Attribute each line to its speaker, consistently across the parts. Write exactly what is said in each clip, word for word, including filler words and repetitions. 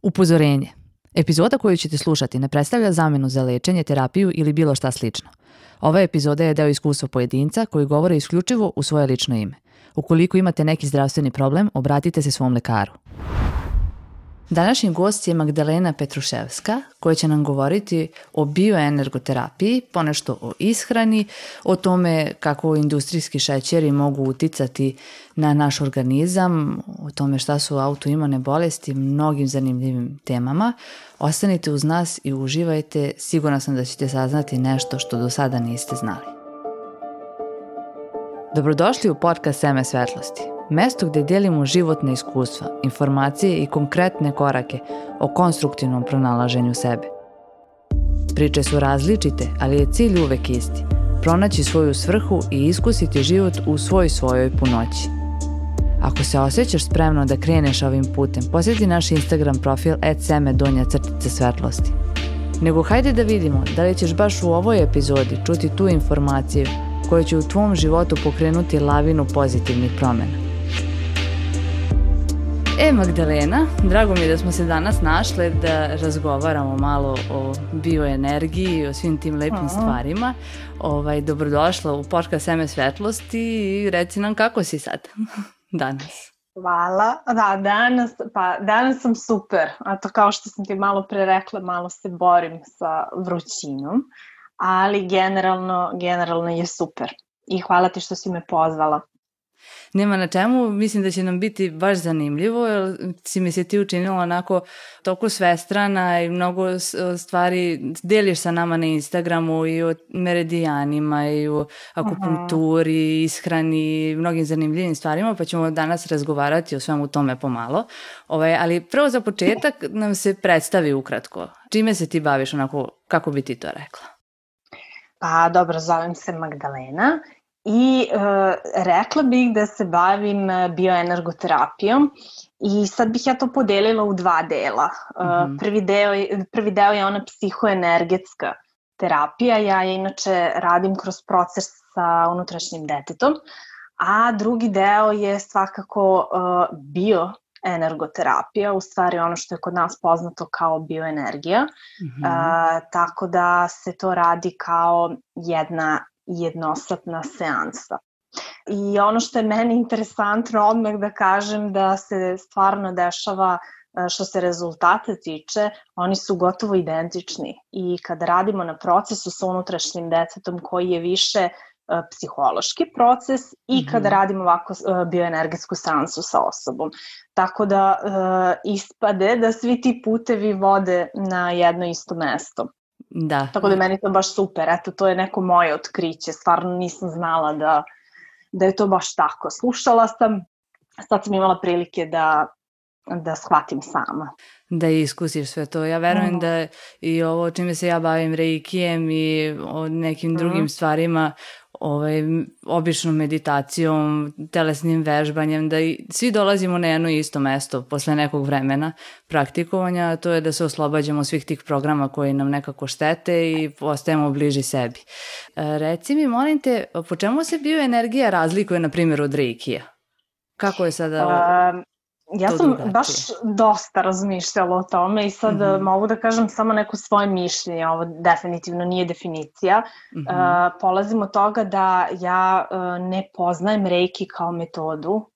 Speaker 1: Upozorenje. Epizoda koju ćete slušati ne predstavlja zamenu za lečenje, terapiju ili bilo šta slično. Ova epizoda je deo iskustva pojedinca koji govore isključivo u svoje lično ime. Ukoliko imate neki zdravstveni problem, obratite se svom lekaru. Današnji gost je Magdalena Petruševska, koja će nam govoriti o bioenergoterapiji, ponešto o ishrani, o tome kako industrijski šećeri mogu uticati na naš organizam, o tome šta su autoimune bolesti, mnogim zanimljivim temama. Ostanite uz nas i uživajte, sigurna sam da ćete saznati nešto što do sada niste znali. Dobrodošli u podcast Seme svetlosti. Mesto gde delimo životne iskustva, informacije i konkretne korake o konstruktivnom pronalaženju sebe. Priče su različite, ali je cilj uvek isti. Pronaći svoju svrhu i iskusiti život u svoj svojoj punoći. Ako se osjećaš spremno da kreneš ovim putem, posjeti naš Instagram profil et seme donja crtica svetlosti. Nego hajde da vidimo da li ćeš baš u ovoj epizodi čuti tu informaciju koja će u tvom životu pokrenuti lavinu pozitivnih promjena. E, Magdalena, drago mi je da smo se danas našle da razgovaramo malo o bioenergiji i o svim tim lepim Aha. stvarima. Ovaj, dobrodošla u podcast Seme svetlosti i reci nam kako si sad danas.
Speaker 2: Hvala. Da, danas, pa danas sam super. A to kao što sam ti malo pre rekla, malo se borim sa vrućinom, ali generalno, generalno je super. I hvala ti što si me pozvala.
Speaker 1: Nema na čemu, mislim da će nam biti baš zanimljivo, jer si mi se ti učinila onako toliko svestrana i mnogo stvari deliš sa nama na Instagramu i o meridijanima i o akupunkturi, ishrani, mnogim zanimljivim stvarima, pa ćemo danas razgovarati o svemu tome pomalo. Ovaj, ali prvo za početak nam se predstavi ukratko. Čime se ti baviš, onako, kako bi ti to rekla?
Speaker 2: Pa dobro, zovem se Magdalena. I e, rekla bih da se bavim bioenergoterapijom i sad bih ja to podelila u dva dela. Mm-hmm. Prvi deo, prvi deo je ona psihoenergetska terapija, ja je inače radim kroz proces sa unutrašnjim detetom, a drugi deo je svakako e, bioenergoterapija, u stvari ono što je kod nas poznato kao bioenergija, mm-hmm. e, tako da se to radi kao jedna jednosatna seansa. I ono što je meni interesantno odmah da kažem da se stvarno dešava što se rezultata tiče, oni su gotovo identični i kada radimo na procesu sa unutrašnjim detetom koji je više psihološki proces i kada mm-hmm. radimo ovako bioenergetsku seansu sa osobom. Tako da uh, ispade da svi ti putevi vode na jedno isto mesto.
Speaker 1: Da.
Speaker 2: Tako da meni to baš super, eto to je neko moje otkriće, stvarno nisam znala da, da je to baš tako. Slušala sam, sad sam imala prilike da, da shvatim sama.
Speaker 1: Da iskusiš sve to. Ja verujem mm. da i ovo čime se ja bavim reikijem i o nekim mm. drugim stvarima, ovaj, običnom meditacijom, telesnim vežbanjem, da i svi dolazimo na jedno isto mesto posle nekog vremena praktikovanja, a to je da se oslobađamo svih tih programa koji nam nekako štete i postajemo bliži sebi. E, reci mi, molim te, po čemu se bioenergija razlikuje, na primjer, od reikija? Kako je sada...
Speaker 2: Um. Ja sam drugačije. baš dosta razmišljala o tome i sad mm-hmm. mogu da kažem samo neko svoje mišljenje, ovo definitivno nije definicija. Mm-hmm. Uh, polazim od toga da ja uh, ne poznajem reiki kao metodu,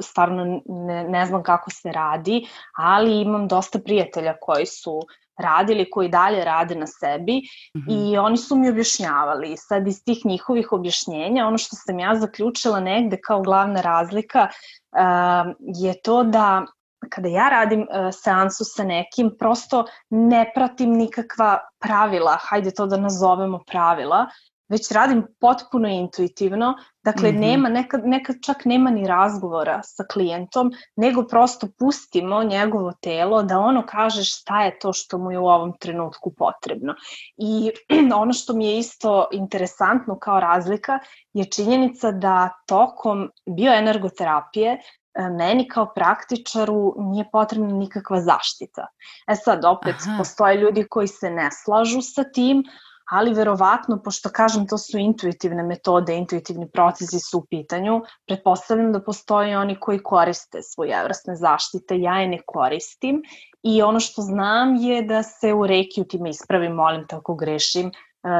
Speaker 2: stvarno ne, ne znam kako se radi, ali imam dosta prijatelja koji su radili, koji dalje rade na sebi mm-hmm. i oni su mi objašnjavali. Sad iz tih njihovih objašnjenja, ono što sam ja zaključila negde kao glavna razlika Uh, je to da kada ja radim uh, seansu sa nekim, prosto ne pratim nikakva pravila, hajde to da nazovemo pravila, već radim potpuno intuitivno, dakle mm-hmm. nema, nekad, nekad čak nema ni razgovora sa klijentom, nego prosto pustimo njegovo telo da ono kaže šta je to što mu je u ovom trenutku potrebno. I ono što mi je isto interesantno kao razlika je činjenica da tokom bioenergoterapije meni kao praktičaru nije potrebna nikakva zaštita. E sad opet Aha. postoje ljudi koji se ne slažu sa tim, ali verovatno, pošto kažem to su intuitivne metode, intuitivni procesi su u pitanju, pretpostavljam da postoje oni koji koriste svojevrsne zaštite, ja je ne koristim i ono što znam je da se u reiki, ti me ispravi, molim te ako grešim,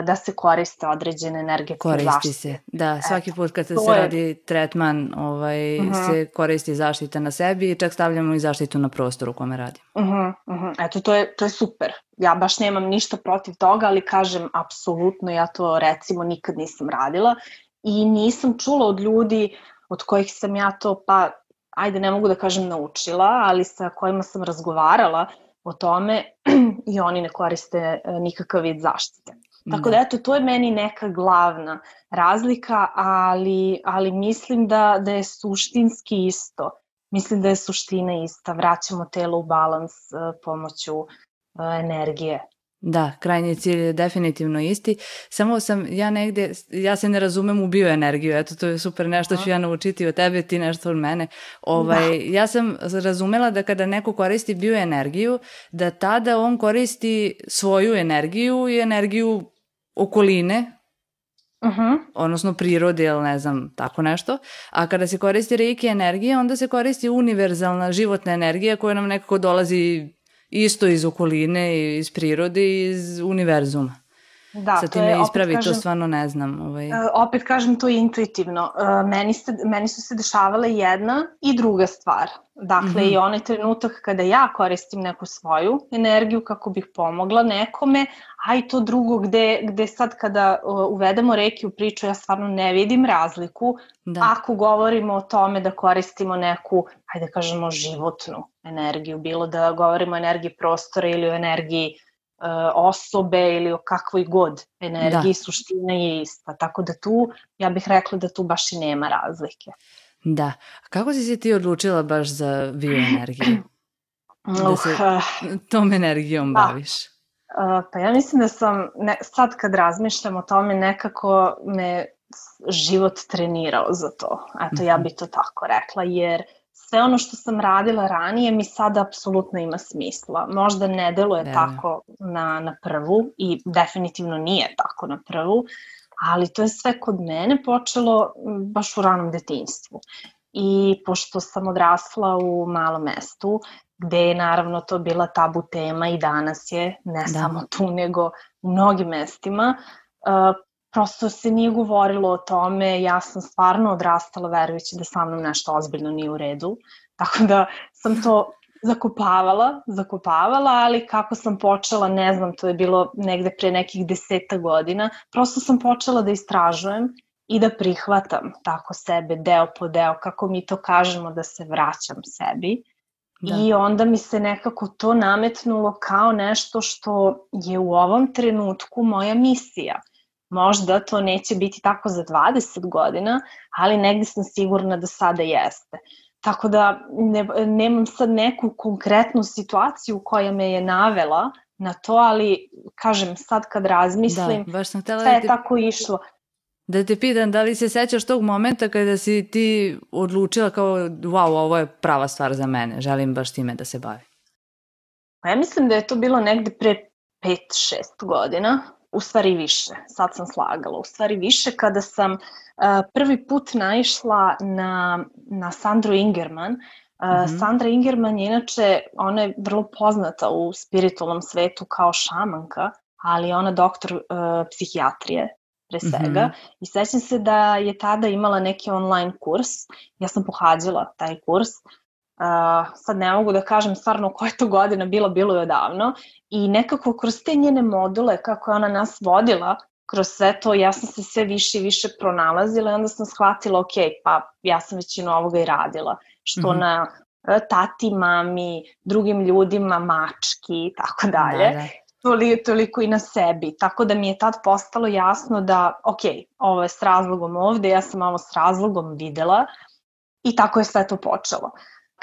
Speaker 2: da se koriste određene energetske zaštite.
Speaker 1: Koristi se, da, svaki put kad se radi tretman ovaj, uh-huh. se koristi zaštita na sebi i čak stavljamo i zaštitu na prostoru u kome radimo.
Speaker 2: Uh-huh, uh-huh. Eto, to je, to je super. Ja baš nemam ništa protiv toga, ali kažem, apsolutno, ja to recimo nikad nisam radila i nisam čula od ljudi od kojih sam ja to, pa ajde ne mogu da kažem naučila, ali sa kojima sam razgovarala o tome i oni ne koriste nikakav vid zaštite. Tako da eto, to je meni neka glavna razlika, ali, ali mislim da, da je suštinski isto. Mislim da je suština ista. Vraćamo telo u balans pomoću energije.
Speaker 1: Da, krajnji cilj je definitivno isti. Samo sam ja negde, ja se ne razumem u bioenergiju, eto to je super, nešto ću ja naučiti od tebe, ti nešto od mene. Ovaj, ja sam razumela da kada neko koristi bioenergiju, da tada on koristi svoju energiju i energiju okoline,
Speaker 2: uh-huh.
Speaker 1: odnosno prirode ili ne znam, tako nešto. A kada se koristi reiki energija, onda se koristi univerzalna životna energija koja nam nekako dolazi isto iz okoline, iz prirode i iz univerzuma.
Speaker 2: Da,
Speaker 1: sad ti me ispravi, to stvarno ne znam. Ovaj.
Speaker 2: Opet kažem, to je intuitivno. Meni, se, meni su se dešavale jedna i druga stvar. Dakle, mm-hmm. i onaj trenutak kada ja koristim neku svoju energiju kako bih pomogla nekome, a i to drugo gde, gde sad kada uvedemo reiki u priču, ja stvarno ne vidim razliku da. Ako govorimo o tome da koristimo neku, hajde kažemo, životnu energiju, bilo da govorimo o energiji prostora ili o energiji osobe ili o kakvoj god energiji, da. Suština je ista. Tako da tu, ja bih rekla da tu baš i nema razlike.
Speaker 1: Da. Kako si se ti odlučila baš za bioenergiju? Da se tom energijom
Speaker 2: da.
Speaker 1: Baviš?
Speaker 2: Pa ja mislim da sam, ne, sad kad razmišljam o tome, nekako me život trenirao za to. Eto, ja bih to tako rekla, jer sve ono što sam radila ranije mi sada apsolutno ima smisla. Možda ne deluje ne. Tako na, na prvu i definitivno nije tako na prvu, ali to je sve kod mene počelo baš u ranom detinjstvu. I pošto sam odrasla u malom mestu, gde je naravno to bila tabu tema i danas je, ne da. Samo tu nego u mnogim mestima, uh, prosto se nije govorilo o tome, ja sam stvarno odrastala verujući da sa mnom nešto ozbiljno nije u redu, tako da sam to zakopavala, zakopavala, ali kako sam počela, ne znam, to je bilo negde pre nekih deseta godina, prosto sam počela da istražujem i da prihvatam tako sebe deo po deo, kako mi to kažemo, da se vraćam sebi. Da. I onda mi se nekako to nametnulo kao nešto što je u ovom trenutku moja misija. Možda to neće biti tako za dvadeset godina, ali negdje sam sigurna da sada jeste. Tako da ne, nemam sad neku konkretnu situaciju koja me je navela na to, ali kažem sad kad razmislim,
Speaker 1: da, baš sam htjela
Speaker 2: sve
Speaker 1: da
Speaker 2: je
Speaker 1: te,
Speaker 2: tako išlo.
Speaker 1: Da te pitam, da li se sećaš tog momenta kada si ti odlučila kao wow, ovo je prava stvar za mene, želim baš time da se bavim?
Speaker 2: Pa ja mislim da je to bilo negde pre pet šest godina. U stvari više, sad sam slagala, u stvari više kada sam uh, prvi put naišla na, na Sandru Ingerman. Uh, mm-hmm. Sandra Ingerman je inače, ona je vrlo poznata u spiritualnom svetu kao šamanka, ali ona doktor uh, psihijatrije pre svega. Mm-hmm. I sećam se da je tada imala neki online kurs, ja sam pohađala taj kurs. Uh, sad ne mogu da kažem stvarno koja je to godina bila, bilo je odavno i nekako kroz te njene module kako je ona nas vodila kroz sve to, ja sam se sve više i više pronalazila i onda sam shvatila ok, pa ja sam većinu ovoga i radila, što mm-hmm. na tati, mami, drugim ljudima, mački i tako dalje, da, da. Toliko, toliko i na sebi, tako da mi je tad postalo jasno da ok, ovo je s razlogom ovde, ja sam ovo s razlogom videla i tako je sve to počelo.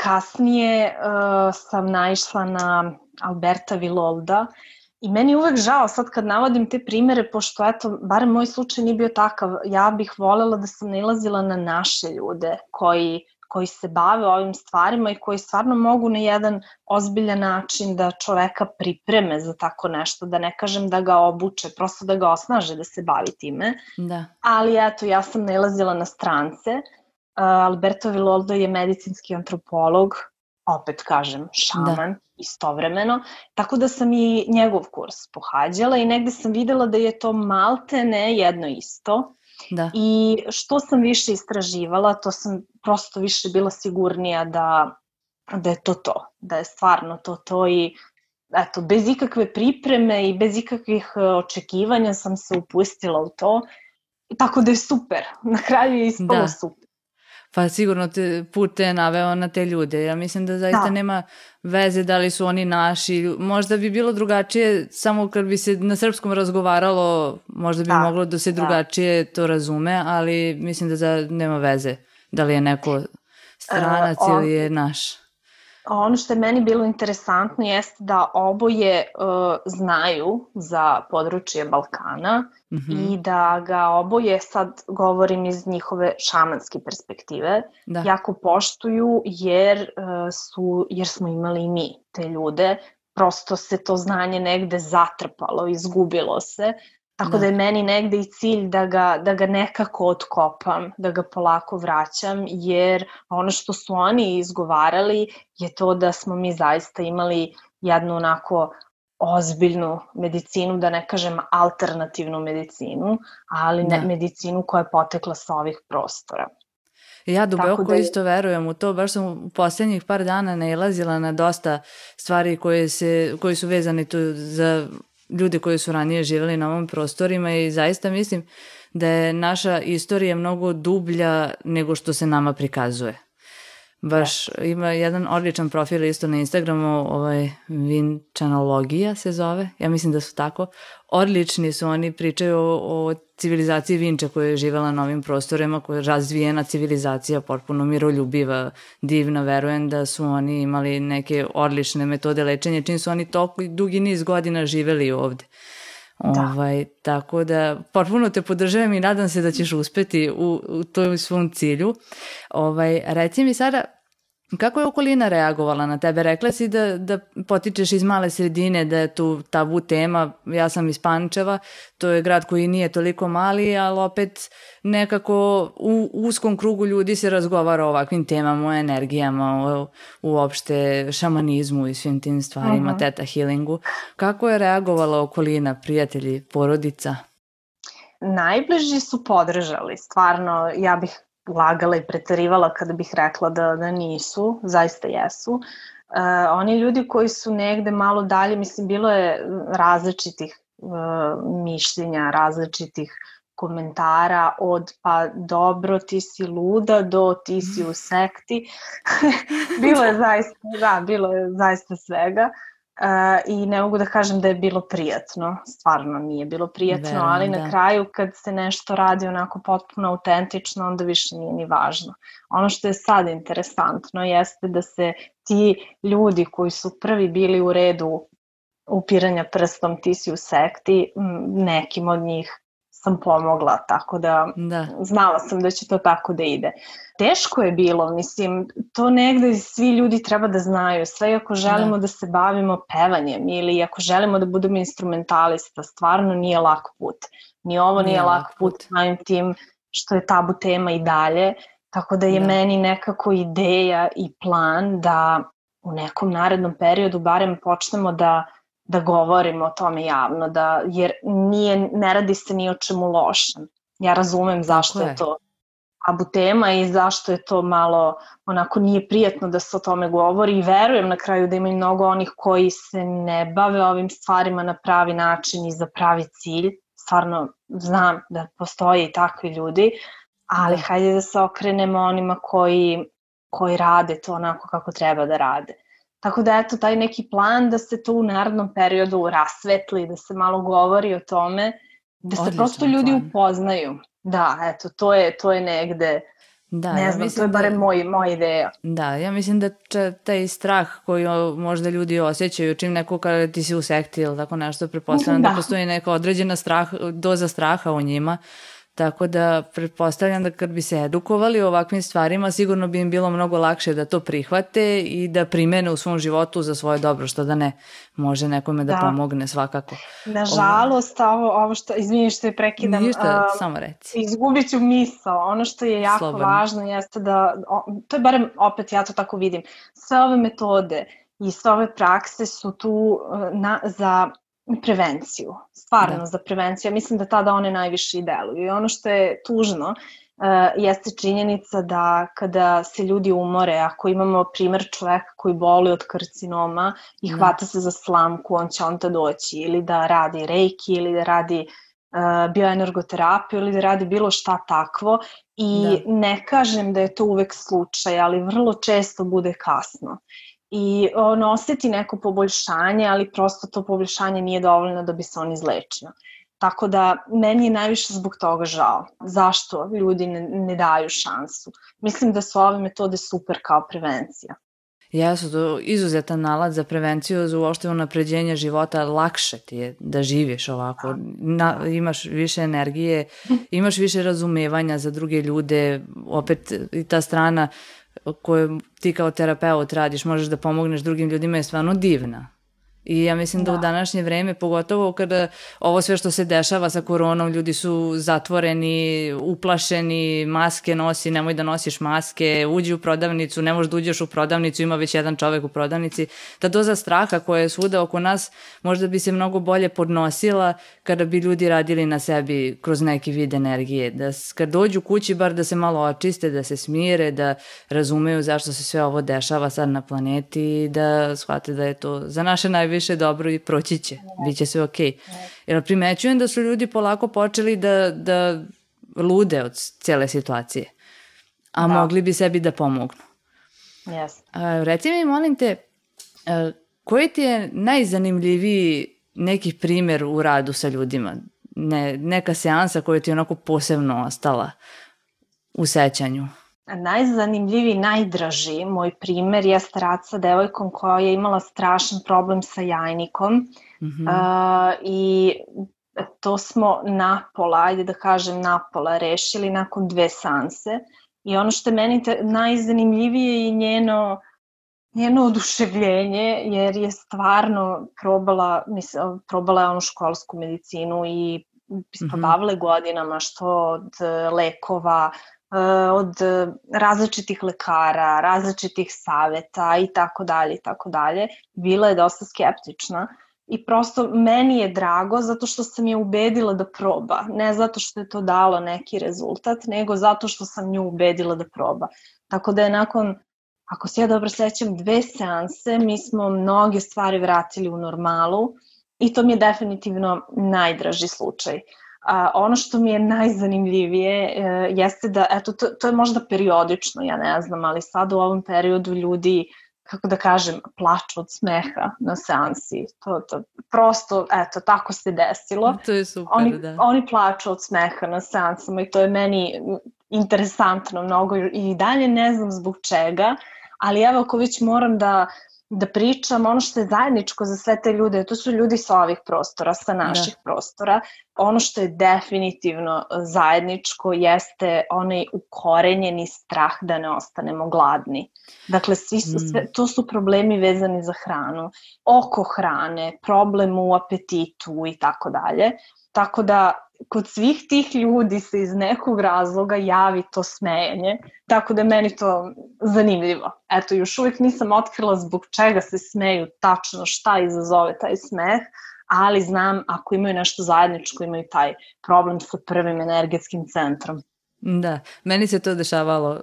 Speaker 2: Kasnije uh, sam naišla na Alberta Villolda i meni je uvek žao sad kad navodim te primere, pošto eto, barem moj slučaj nije bio takav, ja bih voljela da sam nailazila na naše ljude koji, koji se bave ovim stvarima i koji stvarno mogu na jedan ozbiljan način da čoveka pripreme za tako nešto, da ne kažem da ga obuče, prosto da ga osnaže da se bavi time.
Speaker 1: Da.
Speaker 2: Ali eto, ja sam nailazila na strance. Alberto Villoldo je medicinski antropolog, opet kažem šaman, da. Istovremeno, tako da sam i njegov kurs pohađala i negde sam videla da je to maltene jedno isto. Da. I što sam više istraživala, to sam prosto više bila sigurnija da, da je to to, da je stvarno to to i eto, bez ikakve pripreme i bez ikakvih očekivanja sam se upustila u to, tako da je super, na kraju je ispalo da. Super.
Speaker 1: Pa sigurno te, put te je naveo na te ljude. Ja mislim da zaista da. Nema veze da li su oni naši. Možda bi bilo drugačije, samo kad bi se na srpskom razgovaralo, možda bi da. Moglo da se drugačije da. To razume, ali mislim da za, nema veze da li je neko stranac uh, on, ili je naš.
Speaker 2: Ono što je meni bilo interesantno jeste da oboje uh, znaju za područje Balkana mm-hmm. i da ga oboje, sad govorim iz njihove šamanske perspektive, da. Jako poštuju jer, uh, su, jer smo imali i mi te ljude, prosto se to znanje negde zatrpalo, izgubilo se, tako da, da je meni negde i cilj da ga, da ga nekako otkopam, da ga polako vraćam, jer ono što su oni izgovarali je to da smo mi zaista imali jednu onako ozbiljnu medicinu, da ne kažem alternativnu medicinu, ali ne, medicinu koja je potekla sa ovih prostora.
Speaker 1: Ja duboko da je... isto verujem u to, baš sam u poslednjih par dana nailazila na dosta stvari koje, se, koje su vezane tu za ljude koji su ranije živjeli na ovom prostorima i zaista mislim da je naša istorija mnogo dublja nego što se nama prikazuje. Baš ima jedan odličan profil isto na Instagramu, ovaj Vinčanologija se zove, ja mislim da su tako. Odlični su, oni pričaju o, o civilizaciji Vinča koja je živjela na ovim prostorima, koja je razvijena civilizacija, potpuno miroljubiva, divna, verujem da su oni imali neke odlične metode lečenja, čim su oni toliko dugi niz godina živjeli ovde. Da. Ovaj, tako da potpuno te podržavam i nadam se da ćeš uspeti u, u toj svom cilju. Ovaj, reci mi sada, kako je okolina reagovala na tebe? Rekla si da, da potičeš iz male sredine, da je tu tabu tema. Ja sam iz Pančeva, to je grad koji nije toliko mali, ali opet nekako u uskom krugu ljudi se razgovara o ovakvim temama, o energijama, o uopšte šamanizmu i svim tim stvarima, uh-huh. teta healingu. Kako je reagovala okolina, prijatelji, porodica?
Speaker 2: Najbliži su podržali, stvarno, ja bih lagala i pretarivala kada bih rekla da, da nisu, zaista jesu. Uh, oni ljudi koji su negde malo dalje, mislim, bilo je različitih uh, mišljenja, različitih komentara od pa dobro ti si luda do ti si u sekti. bilo je zaista, da, bilo je zaista svega. Uh, i ne mogu da kažem da je bilo prijatno, stvarno nije bilo prijatno, Verujem, ali na da. Kraju kad se nešto radi onako potpuno autentično, onda više nije ni važno. Ono što je sad interesantno jeste da se ti ljudi koji su prvi bili u redu upiranja prstom ti si u sekti, nekim od njih sam pomogla, tako da, da znala sam da će to tako da ide. Teško je bilo, mislim, to negde svi ljudi treba da znaju, sve ako želimo da, da se bavimo pevanjem ili ako želimo da budemo instrumentalista, stvarno nije lak put. Ni ovo nije, nije lak put, put. Samim tim što je tabu tema i dalje, tako da je da. Meni nekako ideja i plan da u nekom narednom periodu barem počnemo da da govorimo o tome javno, da, jer nije, ne radi se ni o čemu lošem. Ja razumem zašto je to tabu tema i zašto je to malo, onako nije prijatno da se o tome govori i verujem na kraju da ima i mnogo onih koji se ne bave ovim stvarima na pravi način i za pravi cilj. Stvarno znam da postoje i takvi ljudi, ali da. Hajde da se okrenemo onima koji, koji rade to onako kako treba da rade. Tako da eto, taj neki plan da se to u narednom periodu rasvetli, da se malo govori o tome, da se Odličan prosto ljudi plan. Upoznaju. Da, eto, to je, to je negde, da, ne znam, ja to je barem da, moj, moja ideja.
Speaker 1: Da, ja mislim da če, taj strah koji možda ljudi osjećaju, čim neko kada ti si u sekti ili tako nešto, pretpostavljam da. da postoji neka određena strah, doza straha u njima, Tako da pretpostavljam da kad bi se edukovali o ovakvim stvarima, sigurno bi im bilo mnogo lakše da to prihvate i da primene u svom životu za svoje dobro, što da ne može nekome da, da. pomogne svakako.
Speaker 2: Nažalost, ovo, ovo što, izvini što je prekidam,
Speaker 1: ništa, uh, samo reci.
Speaker 2: Izgubit ću misao. Ono što je jako Slobodno. važno jeste da, to je barem opet ja to tako vidim, sve ove metode i sve ove prakse su tu na, za prevenciju, stvarno da. za prevenciju. Ja mislim da tada one najviše i deluju. I ono što je tužno uh, jeste činjenica da kada se ljudi umore, ako imamo primer čoveka koji boli od karcinoma i hvata da. se za slamku, on će onda doći ili da radi reiki ili da radi uh, bioenergoterapiju ili da radi bilo šta takvo i da. ne kažem da je to uvek slučaj, ali vrlo često bude kasno. I on osjeti neko poboljšanje, ali prosto to poboljšanje nije dovoljno da bi se on izlečio. Tako da meni je najviše zbog toga žao. Zašto ljudi ne, ne daju šansu? Mislim da su ove metode super kao prevencija.
Speaker 1: Jesu, to izuzetan nalaz za prevenciju, za uopšte unapređenje života, lakše ti je da živiš ovako, Na, imaš više energije, imaš više razumevanja za druge ljude, opet i ta strana koju ti kao terapeut radiš, možeš da pomogneš drugim ljudima je stvarno divna. I ja mislim da, da u današnje vreme, pogotovo kada ovo sve što se dešava sa koronom, ljudi su zatvoreni, uplašeni, maske nosi, nemoj da nosiš maske, uđi u prodavnicu, ne možeš da uđeš u prodavnicu, ima već jedan čovek u prodavnici. Ta doza straha koja je svuda oko nas možda bi se mnogo bolje podnosila kada bi ljudi radili na sebi kroz neki vid energije. Da kad dođu kući bar da se malo očiste, da se smire, da razumeju zašto se sve ovo dešava sad na planeti i da shvate da je to za naše najviše više dobro i proći će, bit će sve okej. Okay. Jer primećujem da su ljudi polako počeli da, da lude od cijele situacije, a da. mogli bi sebi da pomognu.
Speaker 2: Yes.
Speaker 1: A, reci mi, molim te, a, koji ti je najzanimljiviji neki primjer u radu sa ljudima? Ne, neka seansa koja ti je onako posebno ostala u sećanju?
Speaker 2: Najzanimljiviji, najdraži moj primer jeste rad sa devojkom koja je imala strašan problem sa jajnikom mm-hmm. uh, i to smo napola, ajde da kažem napola, rešili nakon dve seanse i ono što je meni te, najzanimljivije je njeno, njeno oduševljenje jer je stvarno probala, mislim, probala je onu školsku medicinu i ispodavale mm-hmm. godinama što od lekova, od različitih lekara, različitih saveta i tako dalje i tako dalje. Bila je dosta skeptična i prosto meni je drago zato što sam je ubedila da proba. Ne zato što je to dalo neki rezultat, nego zato što sam nju ubedila da proba. Tako da je nakon, ako se ja dobro sećam, dve seanse, mi smo mnoge stvari vratili u normalu i to mi je definitivno najdraži slučaj. A, ono što mi je najzanimljivije e, jeste da, eto, to, to je možda periodično, ja ne znam, ali sad u ovom periodu ljudi, kako da kažem, plaču od smeha na seansi. To, to, prosto, eto, tako se desilo.
Speaker 1: To je super,
Speaker 2: oni,
Speaker 1: da.
Speaker 2: Oni plaču od smeha na seansama i to je meni interesantno mnogo i dalje ne znam zbog čega, ali evo ako već moram da da pričam, ono što je zajedničko za sve te ljude, to su ljudi sa ovih prostora, sa naših da. prostora, ono što je definitivno zajedničko jeste onaj ukorenjeni strah da ne ostanemo gladni. Dakle, svi su, sve, to su problemi vezani za hranu, oko hrane, problem u apetitu i tako dalje. Tako da kod svih tih ljudi se iz nekog razloga javi to smejanje, tako da je meni to zanimljivo. Eto, još uvijek nisam otkrila zbog čega se smeju, tačno šta izazove taj smeh, ali znam ako imaju nešto zajedničko, imaju taj problem sa prvim energetskim centrom.
Speaker 1: Da, meni se to dešavalo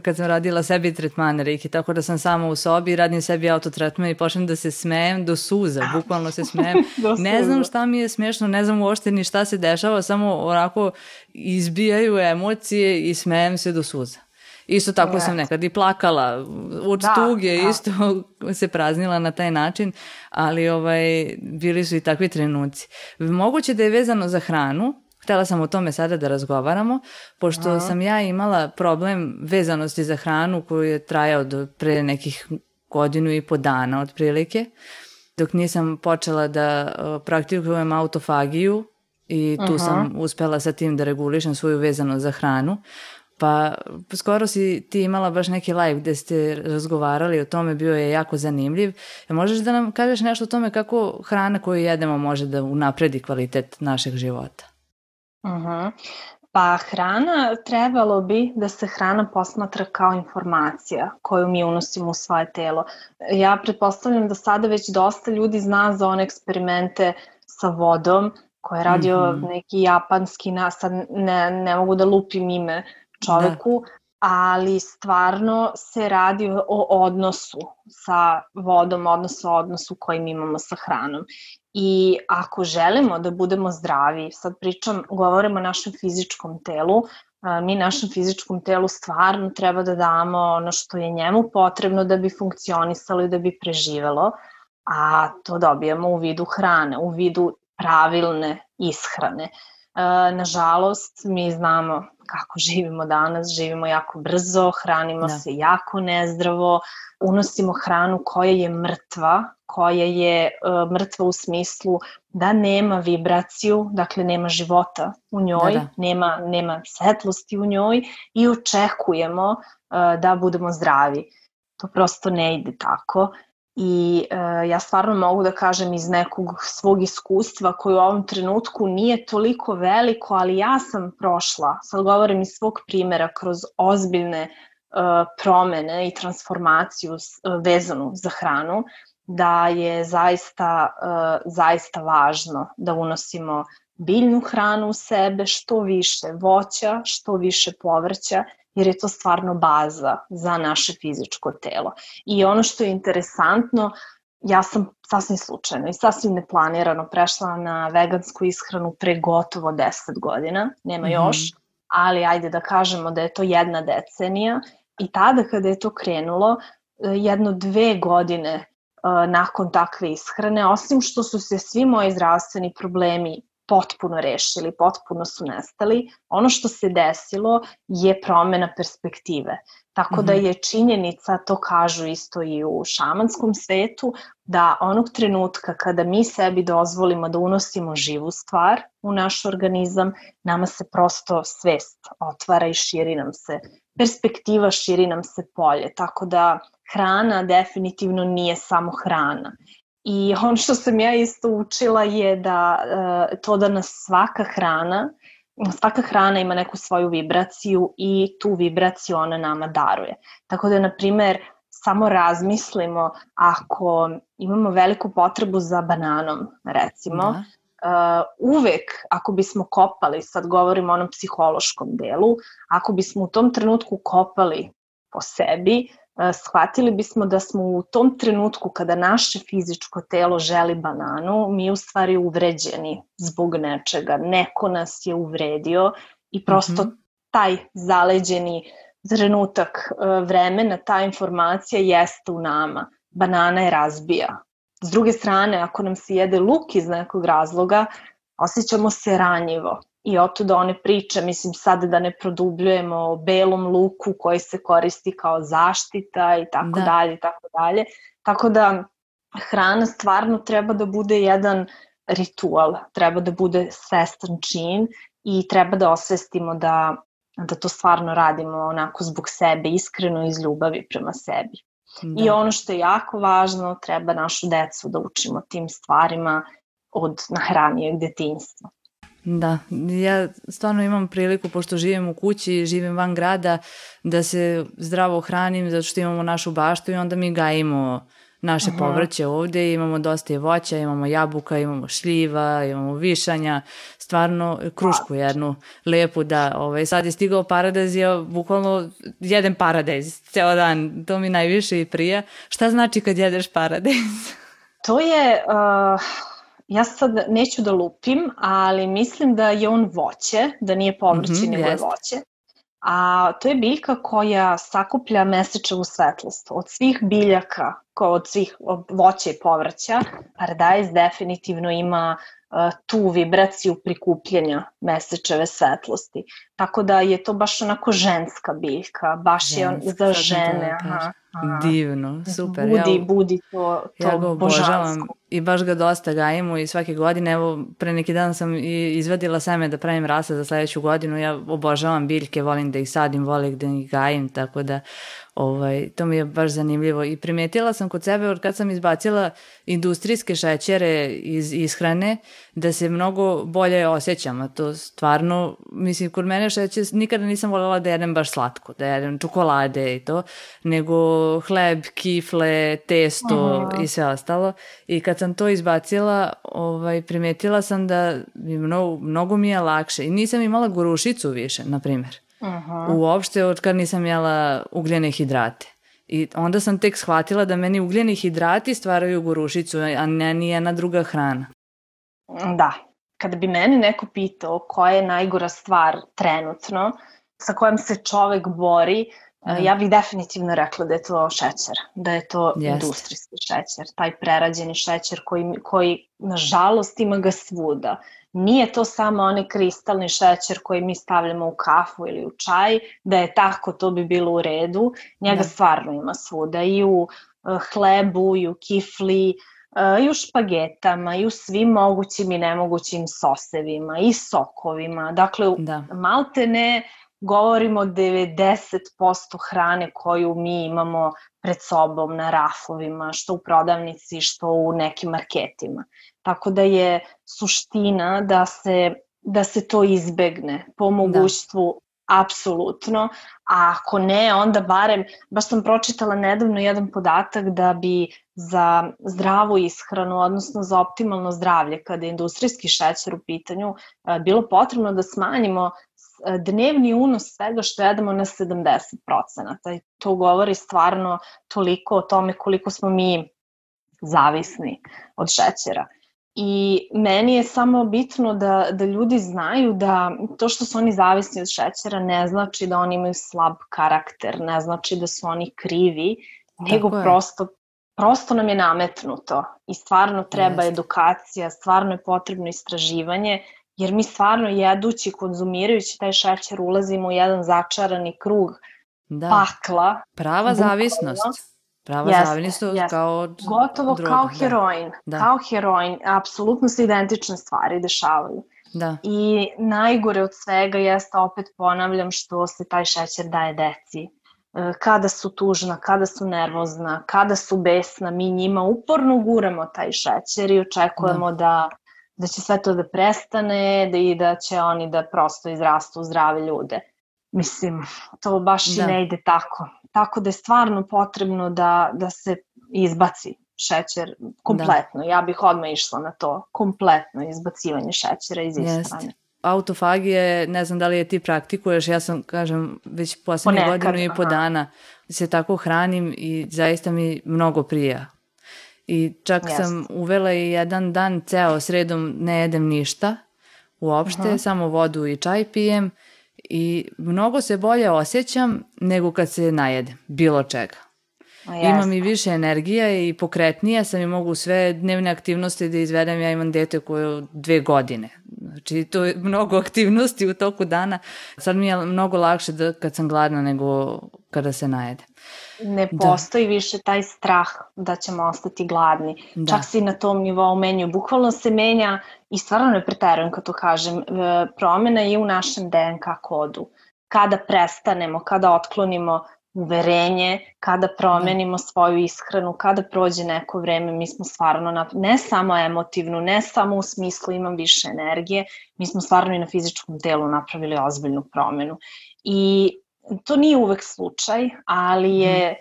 Speaker 1: kad sam radila sebi tretmane Reiki, tako da sam sama u sobi, radim sebi autotretman i počnem da se smejem do suza, bukvalno se smejem. Ne znam šta mi je smiješno, ne znam uopšte ni šta se dešava, samo onako izbijaju emocije i smejem se do suza. Isto tako sam nekad i plakala, od da, tuge da. Isto se praznila na taj način, ali ovaj, bili su i takvi trenuci. Moguće da je vezano za hranu. Htjela sam o tome sada da razgovaramo, pošto Aha. sam ja imala problem vezanosti za hranu koju je trajao do pre nekih godinu i po dana otprilike, dok nisam počela da praktikujem autofagiju i tu uh-huh. sam uspela sa tim da regulišem svoju vezanost za hranu. Pa skoro si ti imala baš neki live gde ste razgovarali o tome, bio je jako zanimljiv. Možeš da nam kažeš nešto o tome kako hrana koju jedemo može da unapredi kvalitet našeg života?
Speaker 2: Uh-huh. Pa hrana, trebalo bi da se hrana posmatra kao informacija koju mi unosimo u svoje telo. Ja pretpostavljam da sada već dosta ljudi zna za one eksperimente sa vodom koje je radio mm-hmm. neki japanski, sad ne, ne mogu da lupim ime čoveku, da. Ali stvarno se radi o odnosu sa vodom, odnosno o odnosu koji mi imamo sa hranom. I ako želimo da budemo zdravi, sad pričam, govorimo o našem fizičkom telu, mi našem fizičkom telu stvarno treba da damo ono što je njemu potrebno da bi funkcionisalo i da bi preživelo, a to dobijamo u vidu hrane, u vidu pravilne ishrane. Nažalost, mi znamo kako živimo danas, živimo jako brzo, hranimo da. se jako nezdravo, unosimo hranu koja je mrtva, koja je uh, mrtva u smislu da nema vibraciju, dakle nema života u njoj, da, da. Nema, nema svetlosti u njoj i očekujemo uh, da budemo zdravi. To prosto ne ide tako. I e, ja stvarno mogu da kažem iz nekog svog iskustva koji u ovom trenutku nije toliko veliko, ali ja sam prošla, sad govorim iz svog primjera, kroz ozbiljne e, promene i transformaciju e, vezanu za hranu, da je zaista, e, zaista važno da unosimo biljnu hranu u sebe, što više voća, što više povrća, jer je to stvarno baza za naše fizičko telo. I ono što je interesantno, ja sam sasvim slučajno i sasvim neplanirano prešla na vegansku ishranu pre gotovo deset godina, nema mm-hmm. još, ali ajde da kažemo da je to jedna decenija i tada kada je to krenulo, jedno dve godine uh, nakon takve ishrane, osim što su se svi moji zdravstveni problemi potpuno rešili, potpuno su nestali. Ono što se desilo je promena perspektive. Tako mm-hmm. da je činjenica, to kažu isto i u šamanskom svetu, da onog trenutka kada mi sebi dozvolimo da unosimo živu stvar u naš organizam, nama se prosto svest otvara i širi nam se perspektiva, širi nam se polje. Tako da hrana definitivno nije samo hrana. I ono što sam ja isto učila je da to da nas svaka hrana, svaka hrana ima neku svoju vibraciju i tu vibraciju ona nama daruje. Tako da, na primer, samo razmislimo ako imamo veliku potrebu za bananom, recimo, da. Uvek ako bismo kopali, sad govorimo o onom psihološkom delu, ako bismo u tom trenutku kopali po sebi, shvatili bismo da smo u tom trenutku kada naše fizičko telo želi bananu, mi u stvari uvređeni zbog nečega. Neko nas je uvredio i prosto mm-hmm. taj zaleđeni trenutak vremena, ta informacija jeste u nama. Banana je razbija. S druge strane, ako nam se jede luk iz nekog razloga, osjećamo se ranjivo. I otuda one priče, mislim sad da ne produbljujemo o belom luku koji se koristi kao zaštita i tako da. dalje i tako dalje. Tako da hrana stvarno treba da bude jedan ritual, treba da bude svestan čin i treba da osvestimo da, da to stvarno radimo onako zbog sebe, iskreno iz ljubavi prema sebi. Da. I ono što je jako važno, treba našu decu da učimo tim stvarima od nahranijeg detinjstva.
Speaker 1: Da, ja stvarno imam priliku, pošto živim u kući, živim van grada, da se zdravo hranim zato što imamo našu baštu i onda mi gajimo naše uh-huh. povrće ovde, imamo dosta i voća, imamo jabuka, imamo šljiva, imamo višanja, stvarno krušku jednu lepu da, ovaj, sad je stigao paradajz, ja bukvalno jedem paradajz ceo dan, to mi najviše i prija. Šta znači kad jedeš paradajz?
Speaker 2: To je... Uh... Ja sad neću da lupim, ali mislim da je on voće, da nije povrće, mm-hmm, nego je voće. A to je biljka koja sakuplja mesečevu svetlost. Od svih biljaka od svih voća i povrća, paradajz definitivno ima tu vibraciju prikupljanja mesečeve svetlosti. Tako da je to baš onako ženska biljka, baš ženska, je za žene. Aha,
Speaker 1: aha. Divno, super.
Speaker 2: Budi, ja, budi to, to
Speaker 1: ja ga obožavam
Speaker 2: božansko.
Speaker 1: I baš ga dosta gajimo i svake godine, evo pre neki dan sam i izvadila seme da pravim rasa za sledeću godinu, ja obožavam biljke, volim da ih sadim, volim da ih gajim, tako da ovaj, to mi je baš zanimljivo i primetila sam kod sebe od kad sam izbacila industrijske šećere iz ishrane da se mnogo bolje osjećam, a to stvarno, mislim, kod mene šećer, nikada nisam voljela da jedem baš slatko, da jedem čokolade i to, nego hleb, kifle, testo uh-huh. i sve ostalo i kad sam to izbacila, ovaj, primetila sam da mi mnogo, mnogo mi je lakše i nisam imala gorušicu više, na primjer. Uh-huh. Uopšte od kad nisam jela ugljene hidrate. I onda sam tek shvatila da meni ugljeni hidrati stvaraju gorušicu, a ne nijena druga hrana.
Speaker 2: Da. Kada bi meni neko pitao koja je najgora stvar trenutno, sa kojom se čovek bori, uh, ja bih definitivno rekla da je to šećer, da je to Jest. industrijski šećer, taj prerađeni šećer koji, koji nažalost ima ga svuda. Nije to samo onaj kristalni šećer koji mi stavljamo u kafu ili u čaj, da je tako to bi bilo u redu, njega da. stvarno ima svuda i u uh, hlebu, i u kifli, uh, i u špagetama, i u svim mogućim i nemogućim sosevima, i sokovima. Dakle, da. malte ne govorimo o devedeset posto hrane koju mi imamo pred sobom na rafovima, što u prodavnici, što u nekim marketima. Tako da je suština da se, da se to izbegne po mogućstvu da. apsolutno, a ako ne, onda barem, baš sam pročitala nedavno jedan podatak da bi za zdravu ishranu, odnosno za optimalno zdravlje, kada je industrijski šećer u pitanju, bilo potrebno da smanjimo dnevni unos svega što jedemo na sedamdeset procenata. I to govori stvarno toliko o tome koliko smo mi zavisni od šećera. I meni je samo bitno da, da ljudi znaju da to što su oni zavisni od šećera ne znači da oni imaju slab karakter, ne znači da su oni krivi, nego prosto, prosto nam je nametnuto i stvarno treba Jeste. edukacija, stvarno je potrebno istraživanje, jer mi stvarno jedući, konzumirajući taj šećer ulazimo u jedan začarani krug da. pakla.
Speaker 1: Prava bukvalno. zavisnost. Prava
Speaker 2: jeste,
Speaker 1: zavisnost
Speaker 2: jeste.
Speaker 1: kao od
Speaker 2: Gotovo
Speaker 1: droga,
Speaker 2: kao heroin.
Speaker 1: Da.
Speaker 2: Kao heroin. Apsolutno se identične stvari dešavaju.
Speaker 1: Da.
Speaker 2: I najgore od svega jeste, opet ponavljam, što se taj šećer daje deci. Kada su tužna, kada su nervozna, kada su besna, mi njima uporno guramo taj šećer i očekujemo da, da, da će sve to da prestane da i da će oni da prosto izrastu u zdrave ljude. Mislim, to baš da. i ne ide tako. Tako da je stvarno potrebno da, da se izbaci šećer kompletno. Da. Ja bih odmah išla na to. Kompletno izbacivanje šećera iz ishrane.
Speaker 1: Autofagija, ne znam da li je ti praktikuješ, ja sam, kažem, već poslednje godinu i po dana se tako hranim i zaista mi mnogo prija. I čak Jest. sam uvela i jedan dan ceo sredom ne jedem ništa uopšte, uh-huh. samo vodu i čaj pijem i mnogo se bolje osjećam nego kad se najedem, bilo čega. Imam i više energija i pokretnija sam i mogu sve dnevne aktivnosti da izvedem. Ja imam dete koje je dve godine. Znači to je mnogo aktivnosti u toku dana. Sad mi je mnogo lakše da, kad sam gladna nego kada se najedem.
Speaker 2: Ne postoji da. više taj strah da ćemo ostati gladni. Da. Čak se i na tom nivou menju. Bukvalno se menja i stvarno ne preterujem kad to kažem. Promena je u našem D N K kodu. Kada prestanemo, kada otklonimo uverenje, kada promenimo svoju ishranu, kada prođe neko vreme, mi smo stvarno, na, ne samo emotivnu, ne samo u smislu imam više energije, mi smo stvarno i na fizičkom telu napravili ozbiljnu promenu. I to nije uvek slučaj, ali je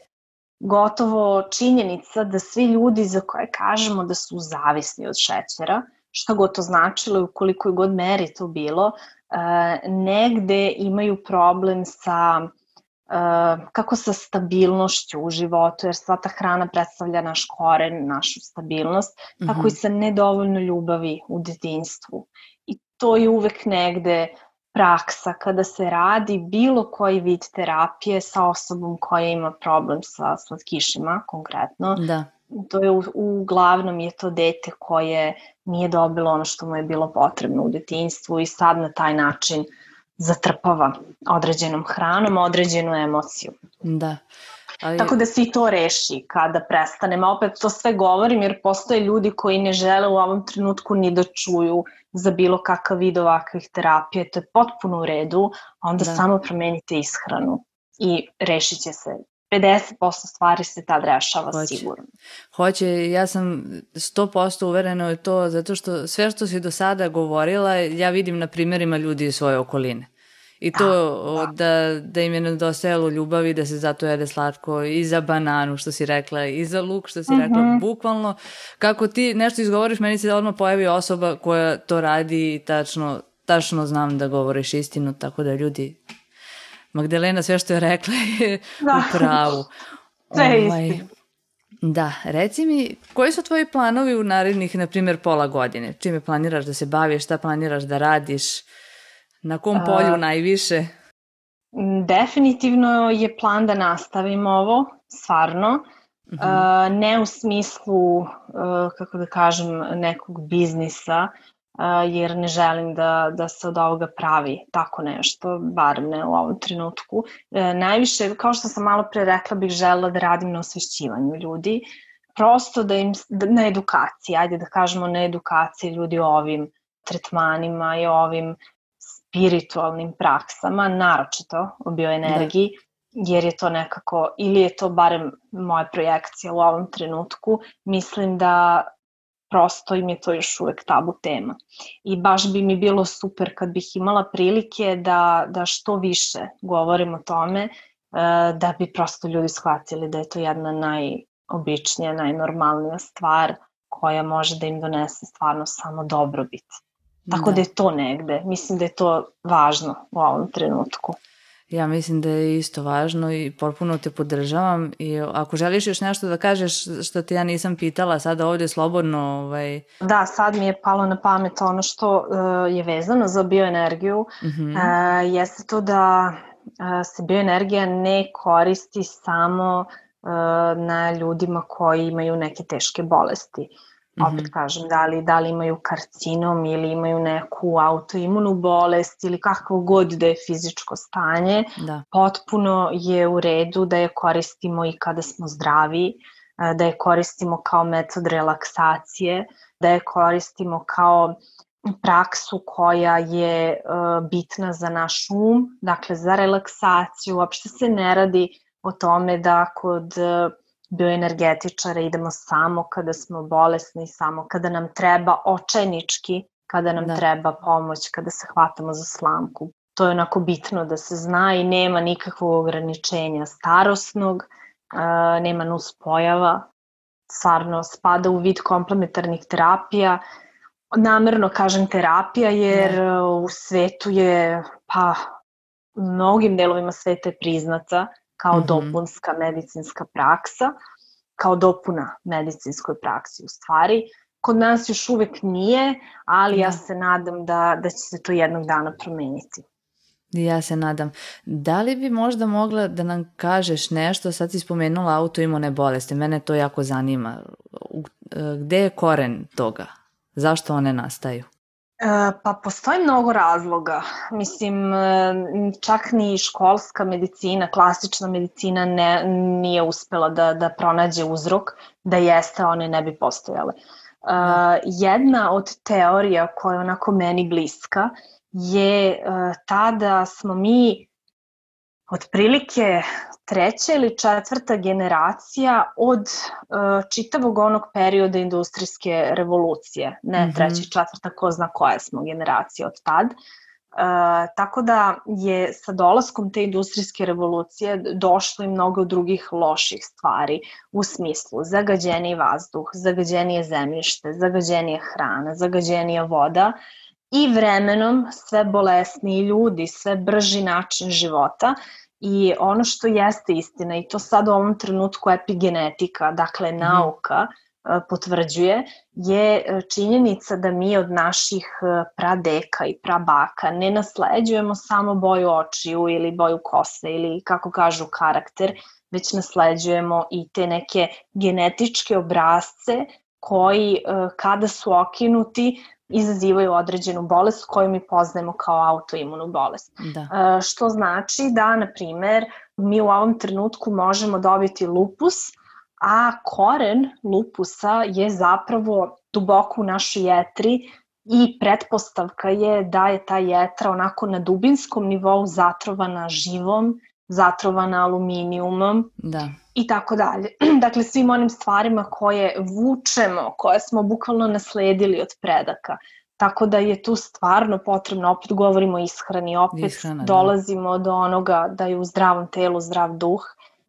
Speaker 2: gotovo činjenica da svi ljudi za koje kažemo da su zavisni od šećera, šta god to značilo i u kolikoj god meri to bilo, negde imaju problem sa Uh, kako sa stabilnošću u životu, jer sva ta hrana predstavlja naš koren, našu stabilnost, mm-hmm. tako i sa nedovoljno ljubavi u detinjstvu. I to je uvek negde praksa kada se radi bilo koji vid terapije sa osobom koja ima problem sa slatkišima konkretno.
Speaker 1: Da.
Speaker 2: To je uglavnom je to dete koje nije dobilo ono što mu je bilo potrebno u detinjstvu i sad na taj način zatrpava određenom hranom određenu emociju.
Speaker 1: Da. Ali...
Speaker 2: Tako da se i to reši kada prestanemo. Opet to sve govorim jer postoje ljudi koji ne žele u ovom trenutku ni da čuju za bilo kakav vid ovakvih terapije. To je potpuno u redu, a onda da. Samo promenite ishranu i rešit će se. pedeset posto stvari se tad rešava Hoće. Sigurno.
Speaker 1: Hoće, ja sam sto posto uverena u to, zato što sve što si do sada govorila, ja vidim na primjerima ljudi iz svoje okoline. I to da, da. da im je nedostajalo ljubavi, da se zato jede slatko i za bananu, što si rekla, i za luk, što si mm-hmm. rekla, bukvalno. Kako ti nešto izgovoriš, meni se odmah pojavi osoba koja to radi i tačno, tačno znam da govoriš istinu, tako da ljudi... Magdalena sve što je rekla je da. U pravu.
Speaker 2: Sve je ovaj, istina.
Speaker 1: Da, reci mi, koji su tvoji planovi u narednih, na primjer, pola godine? Čime planiraš da se baviš, šta planiraš da radiš? Na kom polju uh, najviše?
Speaker 2: Definitivno je plan da nastavim ovo, stvarno. Uh-huh. Uh, ne u smislu, uh, kako da kažem, nekog biznisa, uh, jer ne želim da, da se od ovoga pravi tako nešto, bar ne u ovom trenutku. Uh, najviše, kao što sam malo pre rekla, bih želela da radim na osvešćivanju ljudi. Prosto da im, da, na edukaciji, ajde da kažemo na edukaciji ljudi o ovim tretmanima i o ovim spiritualnim praksama, naročito o bioenergiji, da. Jer je to nekako, ili je to barem moja projekcija u ovom trenutku, mislim da prosto im je to još uvek tabu tema. I baš bi mi bilo super kad bih imala prilike da, da što više govorim o tome, da bi prosto ljudi shvatili da je to jedna najobičnija, najnormalnija stvar koja može da im donese stvarno samo dobrobit. Tako da. da je to negde. Mislim da je to važno u ovom trenutku.
Speaker 1: Ja mislim da je isto važno i potpuno te podržavam. I ako želiš još nešto da kažeš što te ja nisam pitala sada ovdje slobodno... Ovaj...
Speaker 2: Da, sad mi je palo na pamet ono što uh, je vezano za bioenergiju. Mm-hmm. Uh, jeste to da uh, se bioenergija ne koristi samo uh, na ljudima koji imaju neke teške bolesti. Opet kažem, da li, da li imaju karcinom ili imaju neku autoimunu bolest ili kakvo god da je fizičko stanje, da. Potpuno je u redu da je koristimo i kada smo zdravi, da je koristimo kao metod relaksacije, da je koristimo kao praksu koja je uh, bitna za naš um, dakle za relaksaciju. Uopšte se ne radi o tome da kod... Uh, bioenergetičara idemo samo kada smo bolesni, samo kada nam treba očajnički, kada nam da. Treba pomoć, kada se hvatamo za slamku. To je onako bitno da se zna i nema nikakvog ograničenja starosnog, nema nuspojava, stvarno spada u vid komplementarnih terapija. Namerno kažem terapija jer da. U svetu je, pa u mnogim delovima sveta je priznata kao mm-hmm. dopunska medicinska praksa, kao dopuna medicinskoj praksi u stvari. Kod nas još uvek nije, ali da. Ja se nadam da, da će se to jednog dana promeniti.
Speaker 1: Ja se nadam. Da li bi možda mogla da nam kažeš nešto, sad si spomenula autoimune bolesti, mene to jako zanima. Gde je koren toga? Zašto one nastaju?
Speaker 2: Pa postoji mnogo razloga. Mislim, čak ni školska medicina, klasična medicina ne, nije uspela da, da pronađe uzrok, da jeste one ne bi postojale. Uh, jedna od teorija koja je onako meni bliska je uh, ta da smo mi otprilike treća ili četvrta generacija od uh, čitavog onog perioda industrijske revolucije. Ne mm-hmm. treća i četvrta, ko zna koja smo generacija od tad. Uh, tako da je sa dolaskom te industrijske revolucije došlo i mnogo drugih loših stvari u smislu zagađeniji vazduh, zagađenije zemljište, zagađenije hrana, zagađenija voda i vremenom sve bolesniji ljudi, sve brži način života. I ono što jeste istina, i to sad u ovom trenutku epigenetika, dakle nauka, potvrđuje je činjenica da mi od naših pradeka i prabaka ne nasleđujemo samo boju očiju ili boju kose ili kako kažu karakter, već nasleđujemo i te neke genetičke obrasce koji kada su okinuti izazivaju određenu bolest koju mi poznajemo kao autoimunu bolest. Da. Što znači da, na primer, mi u ovom trenutku možemo dobiti lupus, a koren lupusa je zapravo duboko u našoj jetri i pretpostavka je da je ta jetra onako na dubinskom nivou zatrovana živom, zatrovana aluminijumom da. I tako dalje. Dakle, svim onim stvarima koje vučemo, koje smo bukvalno nasledili od predaka. Tako da je tu stvarno potrebno, opet govorimo o ishrani, opet Ishrana, dolazimo da. do onoga da je u zdravom telu zdrav duh.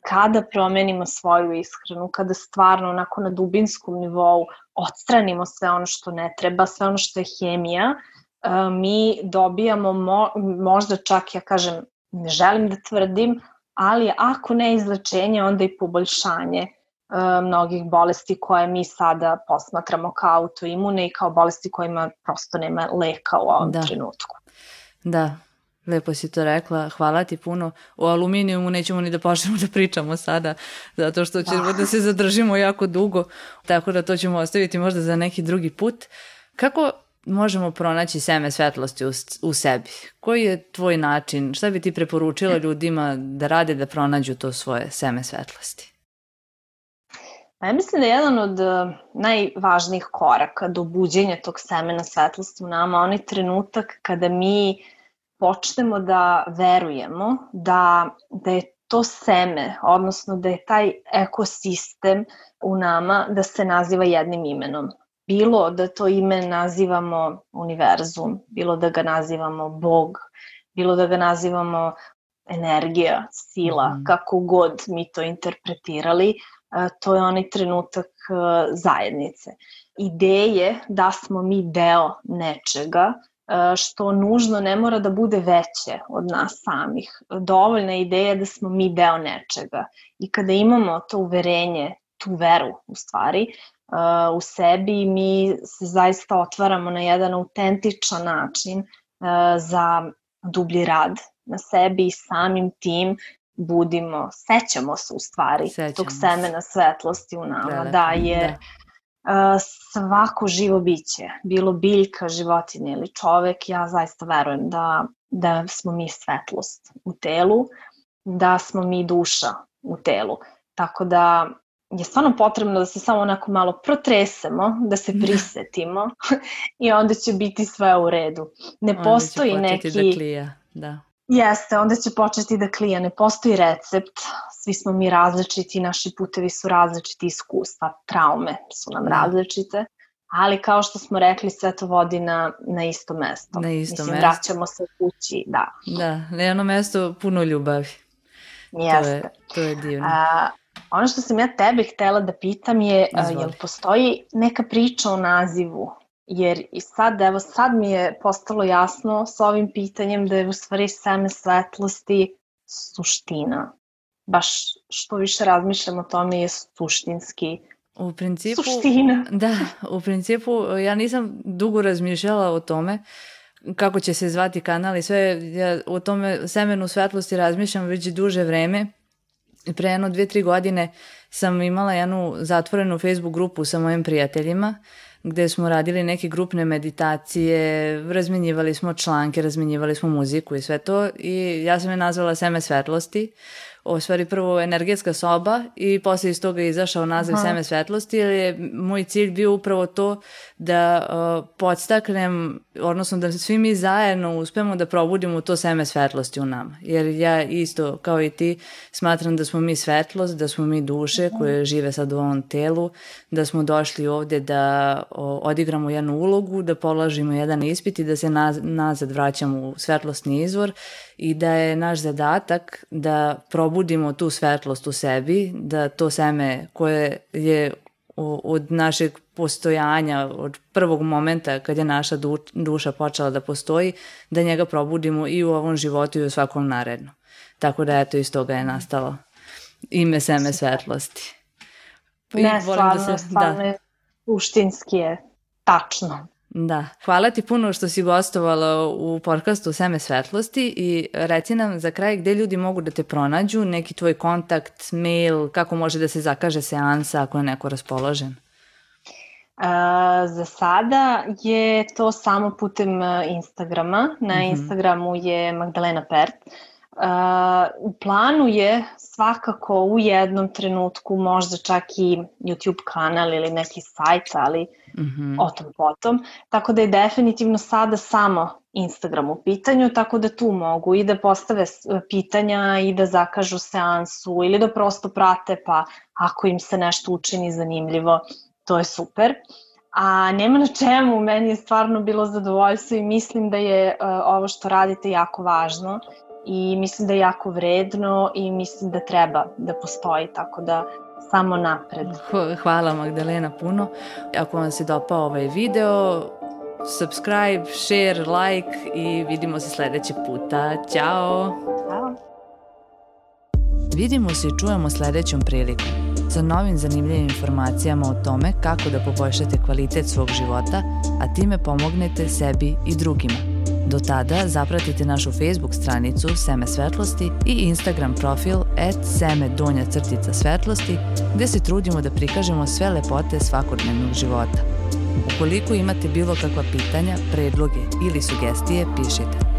Speaker 2: Kada promenimo svoju ishranu, kada stvarno onako na dubinskom nivou odstranimo sve ono što ne treba, sve ono što je hemija, mi dobijamo mo, možda čak, ja kažem, ne želim da tvrdim, ali ako ne izlečenje, onda i poboljšanje mnogih bolesti koje mi sada posmatramo kao autoimune i kao bolesti kojima prosto nema leka u ovom da. trenutku.
Speaker 1: Da. Lepo si to rekla, hvala ti puno. O aluminijumu nećemo ni da počnemo da pričamo sada, zato što ćemo da se zadržimo jako dugo, tako da to ćemo ostaviti možda za neki drugi put. Kako možemo pronaći seme svetlosti u, u sebi? Koji je tvoj način? Šta bi ti preporučila ljudima da rade da pronađu to svoje seme svetlosti?
Speaker 2: Ja mislim da je jedan od najvažnijih koraka do buđenja tog semena svetlosti u nama onaj trenutak kada mi počnemo da verujemo da, da je to seme, odnosno da je taj ekosistem u nama da se naziva jednim imenom. Bilo da to ime nazivamo univerzum, bilo da ga nazivamo Bog, bilo da ga nazivamo energija, sila, mm. kako god mi to interpretirali, to je onaj trenutak zajednice. Ideje da smo mi deo nečega, što nužno ne mora da bude veće od nas samih. Dovoljna je ideja da smo mi deo nečega. I kada imamo to uverenje, tu veru u stvari, u sebi, mi se zaista otvaramo na jedan autentičan način za dublji rad na sebi i samim tim budimo, sećamo se u stvari sećamo tog semena svetlosti u nama. Da, da jer... Da. Svako živo biće, bilo biljka, životinja ili čovek, ja zaista verujem da, da smo mi svetlost u telu, da smo mi duša u telu. Tako da je stvarno potrebno da se samo onako malo protresemo, da se prisetimo i onda će biti sve u redu. Ne onda postoji neki... Onda će početi
Speaker 1: da klija, da.
Speaker 2: Jeste, onda će početi da klija. Ne postoji recept, svi smo mi različiti, naši putevi su različiti, iskustva, traume su nam različite, ali kao što smo rekli, sve to vodi na, na isto mesto.
Speaker 1: Na isto
Speaker 2: Mislim,
Speaker 1: mesto.
Speaker 2: vraćamo se kući, da.
Speaker 1: Da, na jedno mesto puno ljubavi.
Speaker 2: Jeste.
Speaker 1: To je, to je divno.
Speaker 2: A, ono što sam ja tebe htela da pitam je, a, jel postoji neka priča o nazivu? Jer i sad, evo sad mi je postalo jasno s ovim pitanjem da je u stvari seme svetlosti suština. Baš što više razmišljam o tome je suštinski
Speaker 1: u principu,
Speaker 2: suština.
Speaker 1: Da, u principu ja nisam dugo razmišljala o tome kako će se zvati kanal i sve. Ja o tome semenu svetlosti razmišljam već duže vreme. Pre jedno dvije, tri godine sam imala jednu zatvorenu Facebook grupu sa mojim prijateljima gde smo radili neke grupne meditacije, razmenjivali smo članke, razmenjivali smo muziku i sve to i ja sam je nazvala Seme svetlosti. O stvari prvo energetska soba i posle iz toga je izašao naziv Aha. Seme svetlosti, jer je moj cilj bio upravo to da uh, podstaknem, odnosno da svi mi zajedno uspemo da probudimo to seme svetlosti u nama. Jer ja isto kao i ti smatram da smo mi svetlost, da smo mi duše koje žive sad u ovom telu, da smo došli ovde da o, odigramo jednu ulogu, da polažimo jedan ispit i da se naz, nazad vraćamo u svetlosni izvor i da je naš zadatak da probudimo tu svetlost u sebi, da to seme koje je od našeg postojanja, od prvog momenta kad je naša du, duša počela da postoji, da njega probudimo i u ovom životu i u svakom narednom. Tako da eto iz toga je nastalo ime Seme svetlosti.
Speaker 2: I ne, stvarno, da se, stvarno, da. suštinski je tačno.
Speaker 1: Da, hvala ti puno što si gostovala u podcastu Seme svetlosti i reci nam za kraj gde ljudi mogu da te pronađu, neki tvoj kontakt, mail, kako može da se zakaže seansa ako je neko raspoložen.
Speaker 2: Uh, za sada je to samo putem Instagrama. Na mm-hmm. Instagramu je Magdalena Pert. Uh, u planu je svakako u jednom trenutku možda čak i YouTube kanal ili neki sajt, ali mm-hmm. o tom potom. Tako da je definitivno sada samo Instagram u pitanju, tako da tu mogu i da postave pitanja i da zakažu seansu ili da prosto prate, pa ako im se nešto učini zanimljivo, to je super. A nema na čemu, meni je stvarno bilo zadovoljstvo i mislim da je uh, ovo što radite jako važno i mislim da je jako vredno i mislim da treba da postoji, tako da samo napred.
Speaker 1: Hvala Magdalena puno. Ako vam se dopao ovaj video, subscribe, share, like i vidimo se sledećeg puta. Ćao!
Speaker 2: Ćao!
Speaker 1: Vidimo se i čujemo sledećom prilikom sa novim zanimljivim informacijama o tome kako da poboljšate kvalitet svog života, a time pomognete sebi i drugima. Do tada zapratite našu Facebook stranicu Seme svetlosti i Instagram profil at seme donja crtica svetlosti gde se trudimo da prikažemo sve lepote svakodnevnog života. Ukoliko imate bilo kakva pitanja, predloge ili sugestije, pišite.